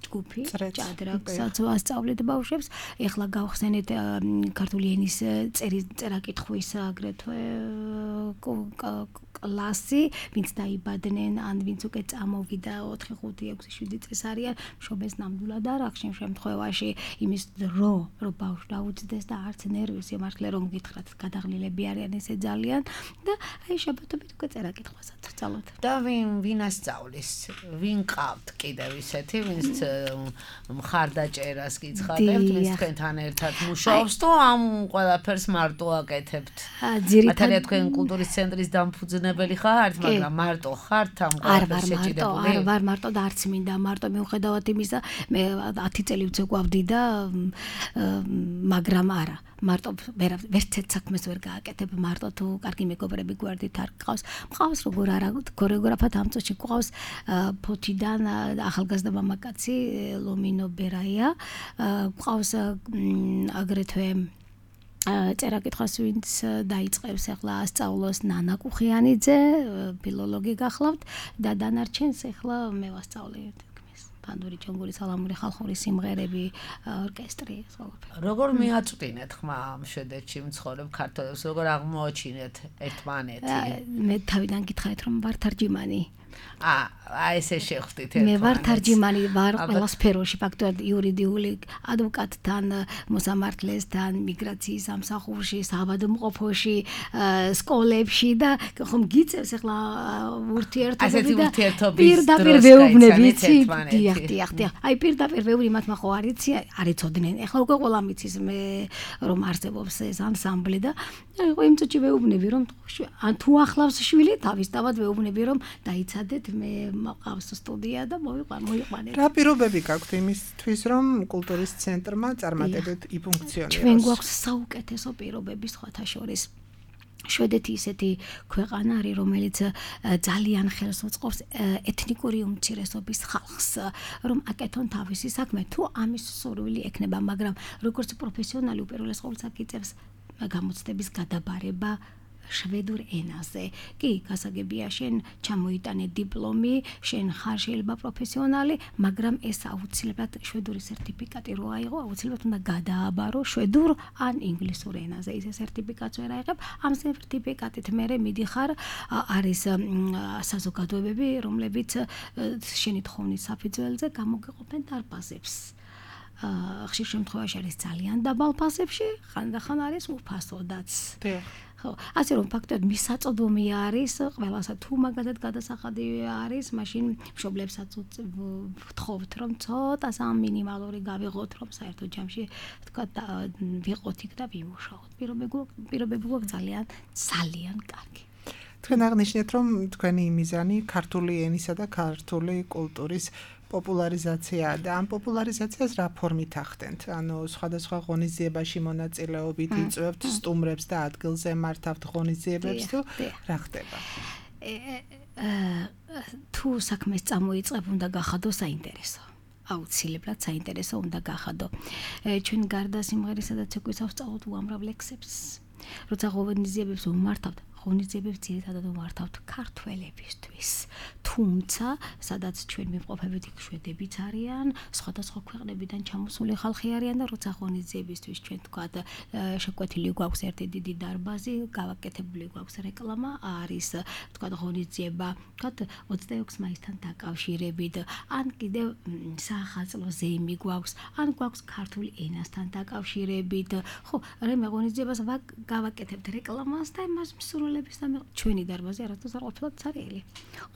ჯგუფი ჭადრაკსაც ვასწავლეთ ბავშვებს ეხლა გავხსენეთ ქართული ენის წერა-კითხვის აგრეთვე კლასი ვინც დაიბადნენ ან ვინც უკვე წამოვიდა 4, 5, 6, 7 წელს არიან მშობელს ნამდვილად არ აქვს იმ შემთხვევაში იმის დრო რომ ბავშვი დაუძდეს და არც ნერვის იმართლე რომ გითხრათ გადაღლილები არიან ესე ძალიან და აი შაბათობით უკვე წერა-კითხვასაც ვსწავლოთ და ვინ ასწავლის ვინ ყავთ კიდევ ისეთი ვინც მხარდაჭერას გიცხადებთ ვინც თქვენთან ერთად მუშაობს თუ ამ ყველაფერს მარტო აკეთებთ მათალია თქვენ კულტურის ცენტრის დამფუძნებელი ხართ მაგრამ მარტო ხართ ამ ყველაფერს შეჭიდებული არ ვარ მარტო და არც მინდა მარტო მიუხედავად იმისა მე 10 წელი ვცეკვავდი და მაგრამ არა მარტო ვერცერთ საქმეს ვერ გააკეთებ მარტო თუ კარგი მეგობრები გვერდით არ გყავს როგორ არა ქორეოგრაფად ამ წუთში გყავს ფოთიდან ახალგაზრდა მამაკაცი ლომინო ბერაია გყავს აგრეთვე წერა-კითხვას ვინც დაიწყებს ახლა ასწავლოს ნანა კუხიანიძე ფილოლოგი გახლავთ და დანარჩენს ახლა მე ვასწავლე ფანდური ჯონგური სალამური ხალხური სიმღერები ორკესტრი ყველაფერი როგორ მიაწვდინეთ ხმა შვედეთში მცხოვრებ ქართველებს როგორ აღმოაჩინეთ ერთმანეთი მე თავიდან გითხარით რომ ვარ თარჯიმანი ესე შეხვდით მე ვარ თარჯიმანი ვარ ყველა სფეროში ფაქტობრივად იურიდიული ადვოკატთან მოსამართლესთან მიგრაციის სამსახურში საბადომყოფოში სკოლებში და ხომ გიწევს ახლა ურთიერთობები პირდაპირ ვეუბნები დიახ აი პირდაპირ ვეუბნები მათმა ხო არიცოდნენ ახლა უკვე ყველა მიცის მე რომ არსებობს ეს ანსამბლი და აი იმ წუთში ვეუბნები რომ ან თუ ახლავს შვილი თავისთავად ვეუბნები რომ დაიცადეთ მე მყავს სტუდია და მოიყვანეთ. რა პირობები გაქვთ იმისთვის რომ კულტურის ცენტრმა წარმატებით იფუნქციონიროს? ჩვენ გვაქვს საუკეთესო პირობები სხვათა შორის. შვედეთი ისეთი ქვეყანა არის, რომელიც ძალიან ხელს უწყობს ეთნიკური უმცირესობის ხალხს, რომ აკეთონ თავისი საქმე, თუ ამის სურვილი ექნება, მაგრამ როგორც პროფესიონალი უპირველეს ყოვლისა გიწევს გამოცდების გადაბარება შვედურ ენაზე. კი, გასაგებია შენ ჩამოიტანე დიპლომი, შენ ხარ შეიძლება პროფესიონალი, მაგრამ ეს აუცილებლად შვედური სერტიფიკატი რო აიღო, აუცილებლად უნდა გადააბარო შვედურ ან ინგლისურ ენაზე. ისე სერტიფიკატს ვერ აიღებ, ამ სერტიფიკატით მერე მიდიხარ, არის საზოგადოებები, რომლებიც შენი თხოვნით საფუძველზე გამოგეყოფენ დარბაზებს. ხშირ შემთხვევაში არის ძალიან დაბალ ფასებში, ხანდახან არის უფასოდაც. ხო, ასე რომ ფაქტობრივად მისაწვდომი არის ყველასა თუ მაგათად გადასახადი არის, მაშინ მშობლებსაც ვთხოვთ რომ ცოტა სამ მინიმალური გავიღოთ, რომ საერთოდ ჯამში თქვა ვიყოთ იქ და ვიმუშაოთ. პირობები გვაქვს ძალიან კარგი. თქვენ აღნიშნეთ რომ თქვენი მიზანი ქართული ენისა და ქართული კულტურის პოპულარიზაცია და ამ პოპულარიზაციას რა ფორმით ახდენთ? ანუ სხვადასხვა ღონისძიებაში მონაწილეობით იწვევთ სტუმრებს და ადგილზე მართავთ ღონისძიებებს თუ რა ხდება? თუ საქმეს წამოიწყებ, უნდა გახადო საინტერესო. აუცილებლად საინტერესო უნდა გახადო. ჩვენ გარდა სიმღერისა და ცეკვისა ვსწავლობთ უამრავ ლექსებს. როცა ღონისძიებებს ვმართავთ, ღონისძიებებს ძირითადად ვმართავთ ქართველებისთვის. თუმცა, სადაც ჩვენ ვიმყოფებით, იქ შვედებიც არიან, სხვადასხვა ქვეყნებიდან ჩამოსული ხალხი არიან და როცა ღონისძიებისთვის ჩვენ თქვათ შეკვეთილი გვაქვს ერთი დიდი დარბაზი, გავაკეთებული გვაქვს რეკლამა, არის თქვათ ღონისძიება, თქვათ 26 მაისთან დაკავშირებით, ან კიდევ საახალწლო ზეიმი გვაქვს, ან გვაქვს ქართული ენასთან დაკავშირებით. ხო, რამე ღონისძიებას გავაკეთებთ რეკლამას და იმას მსურველებს და ჩვენი დარბაზი არასდროს არ ყოფილა ცარიელი.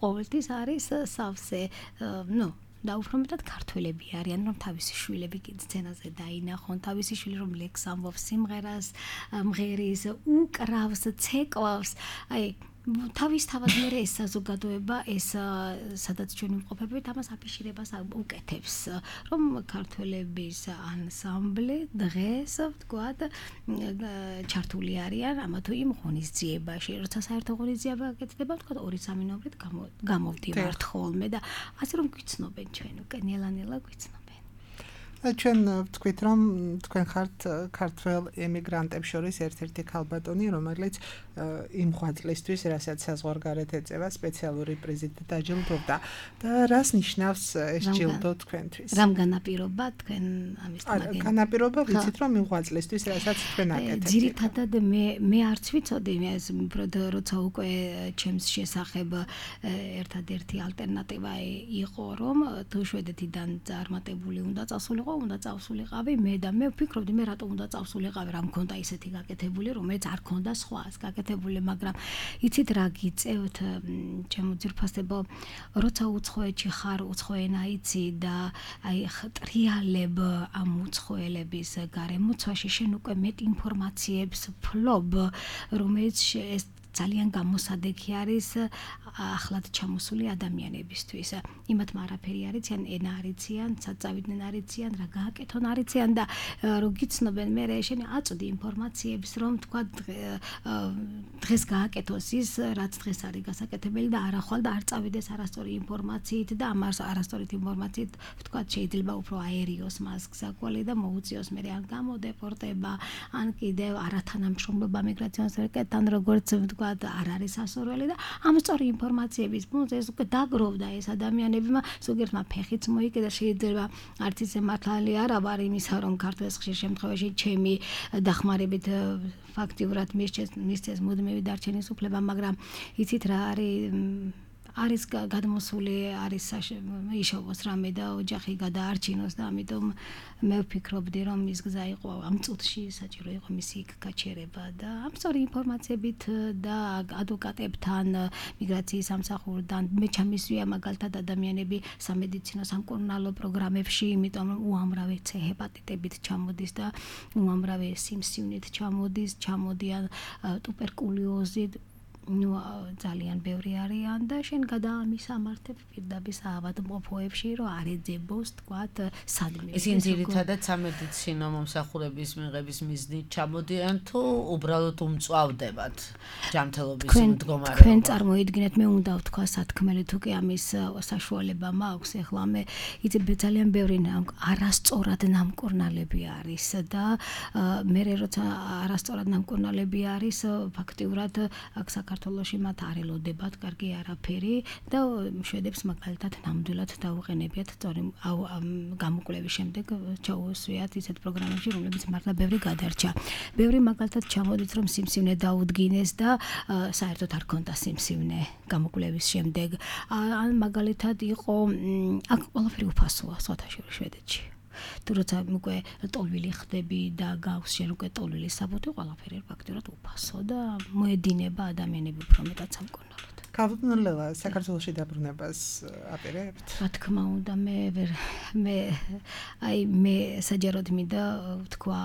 ყოველთვის არის სავსე, და უფრო მეტად ქართველები არიან, რომ თავისი შვილები სცენაზე დაინახონ, თავისი შვილი რომ ლექს ამბობს, სიმღერას მღერის, უკრავს, ცეკვავს, აი თავისთავად მე ეს საზოგადოება ეს სადაც ჩვენ ვიმყოფებით ამას აფიშირებას უკეთებს რომ ქართველების ანსამბლი დღეს ვთქვათ ჩართული არიან ამა თუ იმ ღონისძიებაში როცა საერთო ღონისძიება გაკეთდება ვთქვათ 2-3 ნომრით გამოვდივართ ხოლმე და ასე რომ გვიცნობენ ჩვენ უკვე ნელა-ნელა გვიცნობენ ჩვენ ვთქვით რომ თქვენ ხართ ქართველ ემიგრანტებს შორის ერთ-ერთი ქალბატონი რომელიც იმ ღვაწლისთვის რასაც საზღვარგარეთ ეწევა სპეციალური პრიზით დაჯილდოვდა და რას ნიშნავს ეს ჯილდო თქვენთვის? რამ განაპირობა თქვენ ამის თემაგენ? განაპირობა ვიცით რომ იმ ღვაწლისთვის რასაც თქვენ აკეთებთ. ძირითადად მე არც ვიცოდი ეს როცა უკვე ჩემს შესახებ ერთადერთი ალტერნატივა იყო რომ თუ შვედეთიდან წარმატებული უნდა წასულიყო უნდა წავსულიყავი მე და მე ვფიქრობდი მე რატომ უნდა წავსულიყავი რა მქონდა ისეთი გაკეთებული რომელიც არ ქონდა სხვას გაკეთებული მაგრამ იცით რა გიწევთ ჩემო ძირფასებო როცა უცხოეთში ხარ უცხო ენა იცი და აი ტრიალებ ამ უცხოელების გარემოცვაში შენ უკვე მეტ ინფორმაციებს ფლობ რომელიც ეს ძალიან გამოსადეგი არის ახლად ჩამოსული ადამიანებისთვის. იმათმა არაფერი არიციან, ენა არიციან, საწავიდნენ არიციან, რა გააკეთონ არიციან და რო გიცნობენ მე შენი აწვდი ინფორმაციებს რომ თქვა დღეს გააკეთოს ის რაც დღეს არის გასაკეთებელი და არა ხვალ და არ წავიდეს არასწორი ინფორმაციით და ამას არასწორით ინფორმაციით თქვა შეიძლება უფრო აერიოს მას გზაკვალი და მოუწიოს მე ან გამოდეპორტება ან კიდევ არათანამშრომლობა მიგრაციონის ვერკეთთან როგორც არ არის ასურველი და ამ სწორი ინფორმაციების ფონზე ეს უკვე დაგროვდა ეს ადამიანებმა ზოგიერთმა ფეხიც მოიკიდა შეიძლება არც ისე მართალი არ ვარ იმისა რომ ქართულს ხშირ შემთხვევაში ჩემი დახმარებით ფაქტიურად მისცეს მუდმივი დარჩენის უფლება მაგრამ იცით რა არის არის გადმოსული არის იშოვოს რამე და ოჯახი გადაარჩინოს და ამიტომ მე ვფიქრობდი რომ ის გზა იყო ამ წუთში საჭირო იყო მისი იქ გაჩერება და ამ სწორი ინფორმაციებით და ადვოკატებთან მიგრაციის სამსახურიდან მე ჩამისვია მაგალითად ადამიანები სამედიცინო სამკურნალო პროგრამებში იმიტომ რომ უამრავი ჰეპატიტებით ჩამოდის და უამრავი სიმსივნით ჩამოდიან ტუბერკულოზით ძალიან ბევრი არიან და შენ გადაამისამართებ პირდაპირ საავადმყოფოებში რომ არ ეძებოს თქვათ სადმე ისინი ძირითადად სამედიცინო მომსახურების მიღების მიზნით ჩამოდიან თუ უბრალოდ უმწვავდებათ ჯანმრთელობის მდგომარეობა თქვენ წარმოიდგინეთ მე უნდა ვთქვა სათქმელი თუ კი ამის საშუალება მაქვს ეხლა მე იცი ძალიან ბევრი არასწორად ნამკურნალები არის და მე როცა არასწორად ნამკურნალები არის ფაქტიურად აქ საქართველოში მათ არ ელოდებათ კარგი არაფერი და შვედებს მაგალითად ნამდვილად დაუყენებიათ სწორი გამოკვლევის შემდეგ ჩაუშვიათ ისეთ პროგრამებში რომლებიც მართლა ბევრი გადარჩა ბევრი მაგალითად ჩამოდით რომ სიმსივნე დაუდგინეს და საერთოდ არ ქონდა სიმსივნე გამოკვლევის შემდეგ ან მაგალითად იყო აქ ყველაფერი უფასოა სოთაშორის შვედეთში თუ როცა უკვე ტოლვილი ხდები და გავს შენ უკვე ტოლვილის საბუთი ყველაფერი ფაქტურად უფასო და მოედინება ადამიანები უფრო მეტად სამკურნალოდ კავდნოლა საქართველოში დაბრუნებას აპირებთ რა თქმა უნდა მე საჯაროდ მინდა ვთქვა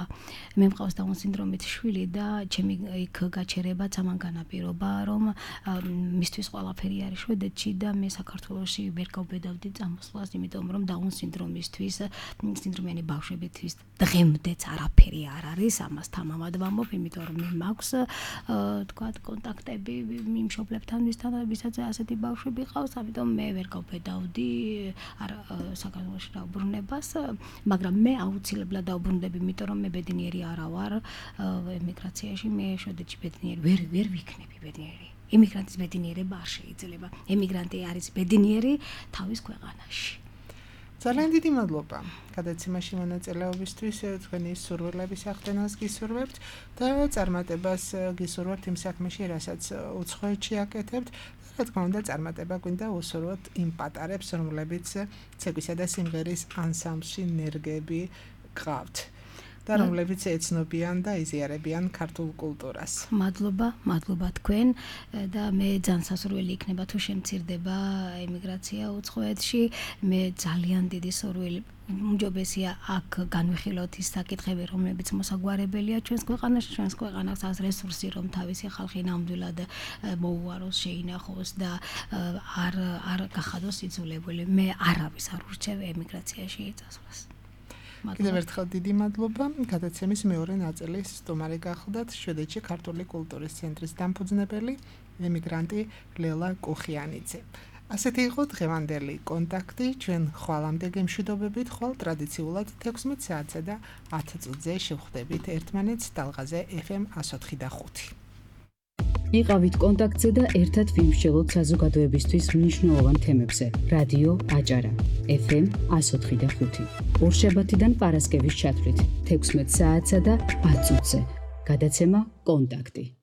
მე მყავს დაუნ სინდრომით შვილი და ჩემი იქ გაჩერება ამან განაპირობა რომ მისთვის ყველაფერი არის შვედეთში და მე საქართველოში ვერ გავბედავდი წამოსვლას იმიტომ რომ დაუნ სინდრომისთვის სინდრომიანი ბავშვებისთვის დღემდეც არაფერი არ არის ამას თამამად ვამბობ იმიტომ რომ მე მაქვს თქვა კონტაქტები მიმშობლებთან ვისაც ასეთი ბავშვები ყავს ამიტომ მე ვერ გავბედავდი საქართველოში დაუბრუნებას მაგრამ მე აუცილებლად დაუბრუნდები იმიტომ რომ მე ბედნიერი არა ვარ ემიგრაციაში მე შვედეთში ბედნიერი ვერ ვიქნები ბედნიერი ემიგრანტის ბედნიერება არ შეიძლება ემიგრანტი არის ბედნიერი თავის ქვეყანაში ძალიან დიდი მადლობა გადაცემაში მონაწილეობისთვის თქვენი სურვილების აღდგენას გისურვებთ და წარმატებას გისურვებთ იმ საქმეში რასაც უცხოეთში აკეთებთ რა თქმა უნდა წარმატება გვინდა უსურვოთ იმ პატარებს რომლებიც ცეკვისა და სიმღერის ანსამბლში ნერგები გყავთ და რომლებიც ეცნობიან და იზიარებიან ქართულ კულტურას. მადლობა თქვენ და მე ძალიან სასურველი იქნება თუ შემცირდება ემიგრაცია უცხოეთში. მე ძალიან დიდი სურვილი უმჯობესია აქ განვიხილოთ ის საკითხები, რომლებიც მოსაგვარებელია ჩვენს ქვეყანაში, ჩვენს ქვეყანას ას რესურსი, რომ თავისი ხალხი ნამდვილად მოუაროს, შეინახოს და არ გახადოს იძულებული. მე არავის არ ურჩევ ემიგრაციაში წასვლას. კიდევ ერთხელ დიდი მადლობა. გადაცემის მეორე ნაწილის სტუმარი გახლდათ შვედეთში ქართული კულტურის ცენტრის დამფუძნებელი ემიგრანტი ლელა კუხიანიძე. ასეთი იყო დღევანდელი კონტაქტი. ჩვენ ხვალამდე გემშვიდობებით, ხვალ ტრადიციულად 16 საათსა და 10 წუთზე შევხვდებით ერთმანეთს ტალღაზე FM 104.5. იყავით კონტაქტზე და ერთად ვიმსჯელოთ საზოგადოებისთვის მნიშვნელოვან თემებზე. რადიო აჭარა FM 104.5. ორშაბათიდან პარასკევის ჩათვლით 16 საათსა და 10 წუთზე. გადაცემა კონტაქტი.